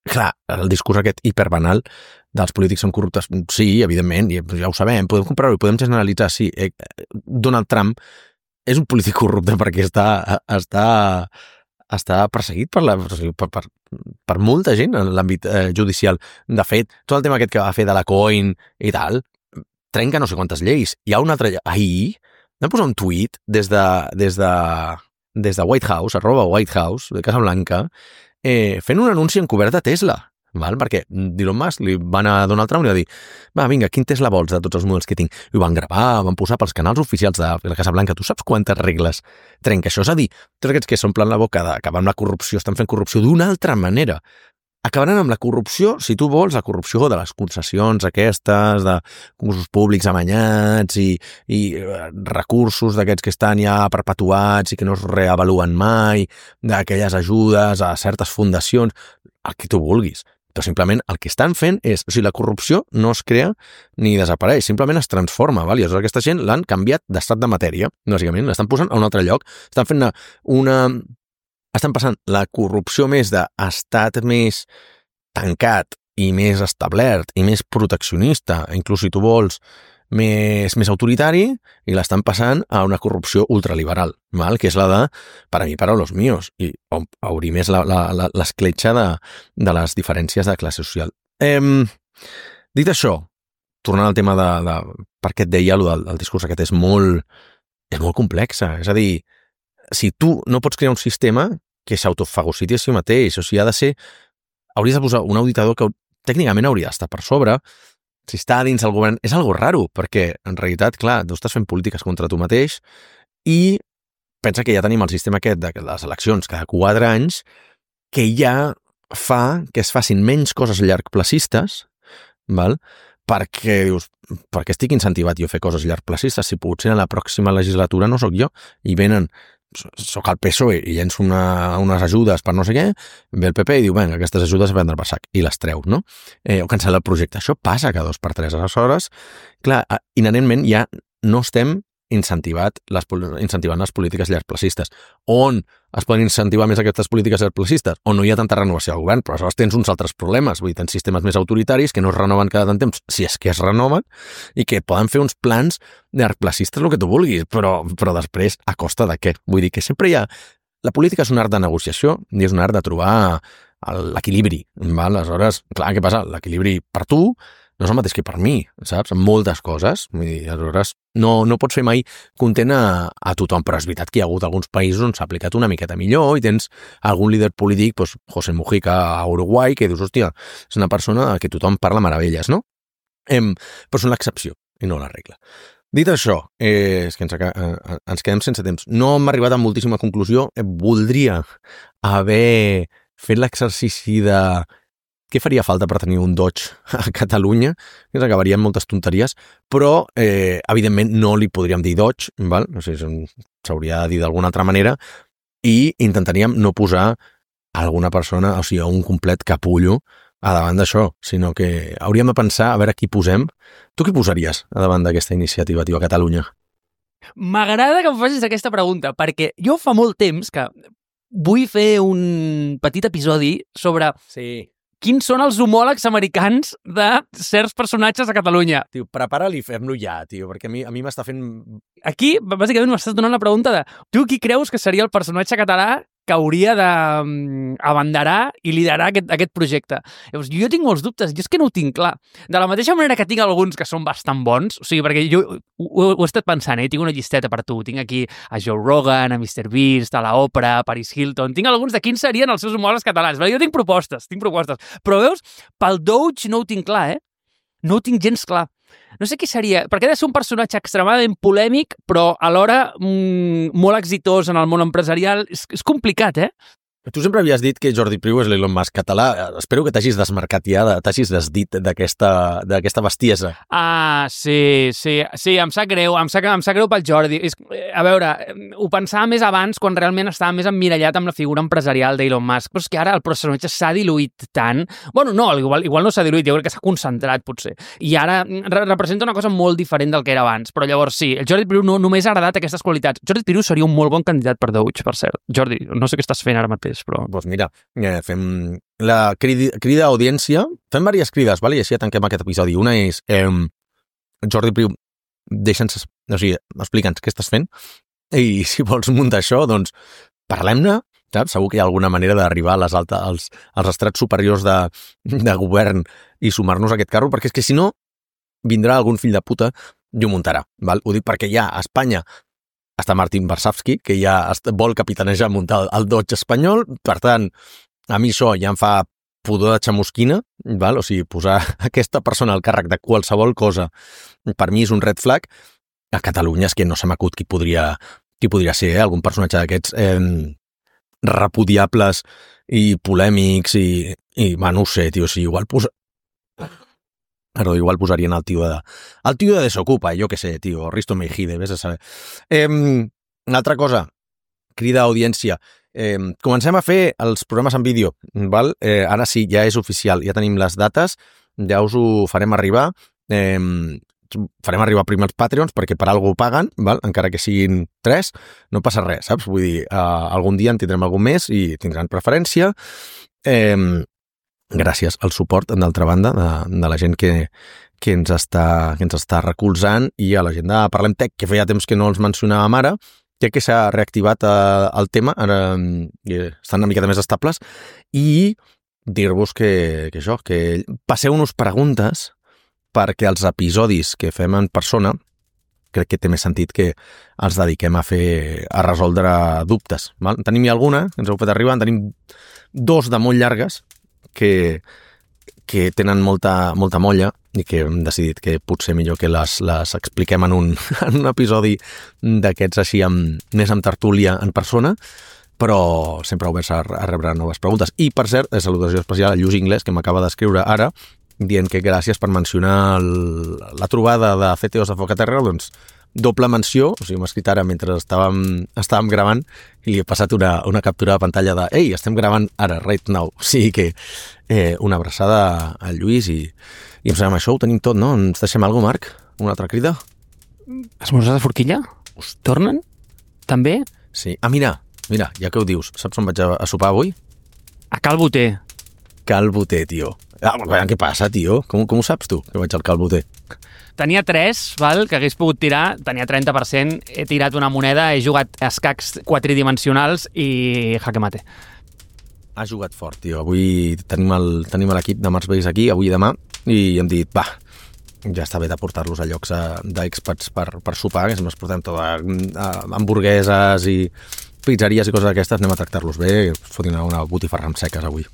clar, el discurs aquest hiperbanal dels polítics són corruptes, sí, evidentment, ja ho sabem, podem comprar-ho i podem generalitzar, sí. Eh, Donald Trump és un polític corrupte perquè està... està està perseguit per, la, per, per, per molta gent en l'àmbit eh, judicial. De fet, tot el tema aquest que va fer de la coin i tal, trenca no sé quantes lleis. Hi ha un altre... Ahir vam posar un tuit des de, des de, des de White House, arroba White House, de Casa Blanca, eh, fent un anunci encobert de Tesla. Val? Perquè Elon Musk li van a Donald Trump i li va dir, va, vinga, quin Tesla vols de tots els models que tinc? I ho van gravar, van posar pels canals oficials de la Casa Blanca. Tu saps quantes regles trenca això? És a dir, tots aquests que s'omplen la boca d'acabar amb la corrupció estan fent corrupció d'una altra manera. Acabaran amb la corrupció, si tu vols, la corrupció de les concessions aquestes, de concursos públics amanyats i, i recursos d'aquests que estan ja perpetuats i que no es reavaluen mai, d'aquelles ajudes a certes fundacions, el que tu vulguis. Però simplement el que estan fent és, o sigui, la corrupció no es crea ni desapareix, simplement es transforma, val? I aleshores aquesta gent l'han canviat d'estat de matèria, bàsicament, l'estan posant a un altre lloc, estan fent una, una... estan passant la corrupció més d'estat més tancat i més establert i més proteccionista, inclús si tu vols, més, més autoritari, i l'estan passant a una corrupció ultraliberal, val? Que és la de, per a mi, para los míos, i obrir més la, la, la, l'escletxa de, de les diferències de classe social. Eh, dit això, tornant al tema de, de per què et deia, el, del, el discurs aquest és molt, és molt complexa, és a dir, si tu no pots crear un sistema que s'autofagociti a si mateix, o sigui, ha de ser, hauries de posar un auditador que tècnicament hauria d'estar per sobre, si està dins el govern, és algo raro, perquè en realitat, clar, tu estàs fent polítiques contra tu mateix i pensa que ja tenim el sistema aquest de les eleccions cada quatre anys que ja fa que es facin menys coses llargplacistes, val? Perquè dius, perquè estic incentivat jo a fer coses llargplacistes, si potser en la pròxima legislatura no sóc jo, i venen soc el P S O E i llenço una, unes ajudes per no sé què, ve el P P i diu, vinga, aquestes ajudes a prendre per sac, i les treu, no? Eh, o cancel·la el projecte. Això passa cada dos per tres. Aleshores, clar, inherentment ja no estem incentivat les, incentivant les polítiques llargplacistes. On es poden incentivar més aquestes polítiques llargplacistes? On no hi ha tanta renovació al govern, però aleshores tens uns altres problemes. Vull dir, tens sistemes més autoritaris que no es renoven cada tant temps, si és que es renoven, i que poden fer uns plans llargplacistes, el que tu vulguis, però, però després a costa de què? Vull dir que sempre hi ha... La política és un art de negociació i és un art de trobar l'equilibri. Aleshores, clar, què passa? L'equilibri per tu no és el mateix que per mi, saps? En moltes coses. Vull dir, aleshores, no, no pots fer mai content a, a tothom, però és veritat que hi ha hagut alguns països on s'ha aplicat una miqueta millor i tens algun líder polític, doncs José Mujica a Uruguai, que dius, hòstia, és una persona que tothom parla meravelles, no? Em, però són l'excepció i no la regla. Dit això, eh, és que ens, eh, ens quedem sense temps. No hem arribat a moltíssima conclusió. Eh, voldria haver fet l'exercici de què faria falta per tenir un Dodge a Catalunya, que ens acabaria amb moltes tonteries, però, eh, evidentment, no li podríem dir Dodge, val? No sé, s'hauria de dir d'alguna altra manera, i intentaríem no posar alguna persona, o sigui, un complet capullo a davant d'això, sinó que hauríem de pensar a veure qui posem. Tu qui posaries a davant d'aquesta iniciativa, tio, a Catalunya? M'agrada que em facis aquesta pregunta, perquè jo fa molt temps que vull fer un petit episodi sobre Sí. quins són els homòlegs americans de certs personatges a Catalunya. Tio, prepara-li i fem-lo ja, tio, perquè a mi, a mi m'està fent... Aquí, bàsicament, m'estàs donant la pregunta de tu qui creus que seria el personatge català que hauria d'abanderar i liderar aquest, aquest projecte. Llavors, jo tinc molts dubtes, jo és que no ho tinc clar. De la mateixa manera que tinc alguns que són bastant bons, o sigui, perquè jo ho, ho, ho he estat pensant, eh? Tinc una llisteta per tu, tinc aquí a Joe Rogan, a mister Beast, a l'Oprah, a Paris Hilton, tinc alguns de quins serien els seus homòlegs catalans. Jo tinc propostes, tinc propostes, però veus, pel Doge no ho tinc clar, eh? No ho tinc gens clar. No sé qui seria, perquè ha de ser un personatge extremadament polèmic, però alhora mmm, molt exitós en el món empresarial. És, és complicat, eh? Tu sempre havies dit que Jordi Priu és l'Elon Musk català. Espero que t'hagis desmarcat ja, t'hagis desdit d'aquesta d'aquesta bestiesa. Ah, sí, sí, sí, em sap greu, em sap, em sap greu pel Jordi. És, a veure, ho pensava més abans quan realment estava més emmirallat amb la figura empresarial d'Elon Musk, però és que ara el personatge s'ha diluït tant. Bueno, no, igual, igual no s'ha diluït, jo crec que s'ha concentrat, potser. I ara re representa una cosa molt diferent del que era abans, però llavors sí, el Jordi Priu no, només ha agradat aquestes qualitats. Jordi Priu seria un molt bon candidat per Doge, per cert. Jordi, no sé què estàs fent ara mateix, però... Doncs mira, eh, fem la crida, crida a audiència, fem diverses crides, vale? I així ja tanquem aquest episodi. Una és, eh, Jordi Priu, deixa'ns, o sigui, explica'ns què estàs fent, i si vols muntar això, doncs parlem-ne, saps? Segur que hi ha alguna manera d'arribar a les alta, als, als estrats superiors de, de govern i sumar-nos a aquest carro, perquè és que si no, vindrà algun fill de puta i ho muntarà, val? Ho dic perquè ja a Espanya està Martin Varsavsky, que ja vol capitanejar muntar el Dodge espanyol, per tant, a mi això ja em fa pudor de xamusquina, val? O sigui, posar aquesta persona al càrrec de qualsevol cosa, per mi és un red flag. A Catalunya és que no se m'acut qui podria, qui podria ser, eh? Algun personatge d'aquests eh, repudiables i polèmics i, i va, no ho sé, tio, o sigui, igual posa... Però igual posarien el tio de... El tio de Desocupa, jo què sé, tio, Risto Mejide, vés a saber. Eh, una altra cosa, crida a audiència. Eh, comencem a fer els programes en vídeo, val? Eh, ara sí, ja és oficial, ja tenim les dates, ja us ho farem arribar. Eh, farem arribar primer els Patreons, perquè per algú ho paguen, val? Encara que siguin tres, no passa res, saps? Vull dir, eh, algun dia en tindrem algun més i tindran preferència. Eh, gràcies al suport, d'altra banda, de, de la gent que, que, ens està, que ens està recolzant, i a la gent de Parlem Tech, que feia temps que no els mencionàvem ara, crec que s'ha reactivat eh, el tema, ara eh, estan una miqueta més estables, i dir-vos que, que això, que passeu-nos preguntes perquè els episodis que fem en persona crec que té més sentit que els dediquem a fer a resoldre dubtes. Val? Tenim-hi alguna, ens heu fet arribar, en tenim dos de molt llargues, que, que tenen molta, molta molla i que hem decidit que potser millor que les, les expliquem en un, en un episodi d'aquests així amb, més amb tertúlia en persona, però sempre oberts a, a rebre noves preguntes. I, per cert, salutació especial a Lluís Inglés, que m'acaba d'escriure ara, dient que gràcies per mencionar el, la trobada de C T Os de Focaterra, doncs doble menció, o sigui, m'ha escrit ara mentre estàvem, estàvem gravant i li he passat una, una captura de pantalla de «Ei, estem gravant ara, right now». O sigui que eh, una abraçada al Lluís i, i em sembla això ho tenim tot, no? Ens deixem alguna cosa, Marc? Una altra crida? Esmorzar de forquilla? Us tornen? També? Sí. Ah, mira, mira, ja que ho dius, saps on vaig a, a sopar avui? A Cal Boter. Cal Boter, tio. Ah, què passa, tio? Com, com ho saps tu, que vaig al Cal Boter? Tenia tres, val, que hagués pogut tirar, tenia trenta per cent, he tirat una moneda, he jugat escacs quatridimensionals i jaque mate. Ha jugat fort, tio. Avui tenim el tenim l'equip de Mars Base aquí, avui i demà, i hem dit, va, ja està bé de portar-los a llocs d'experts per, per sopar, que si ens portem tot a, a hamburgueses i pizzeries i coses d'aquestes, anem a tractar-los bé, fotin una botifarra amb seques avui.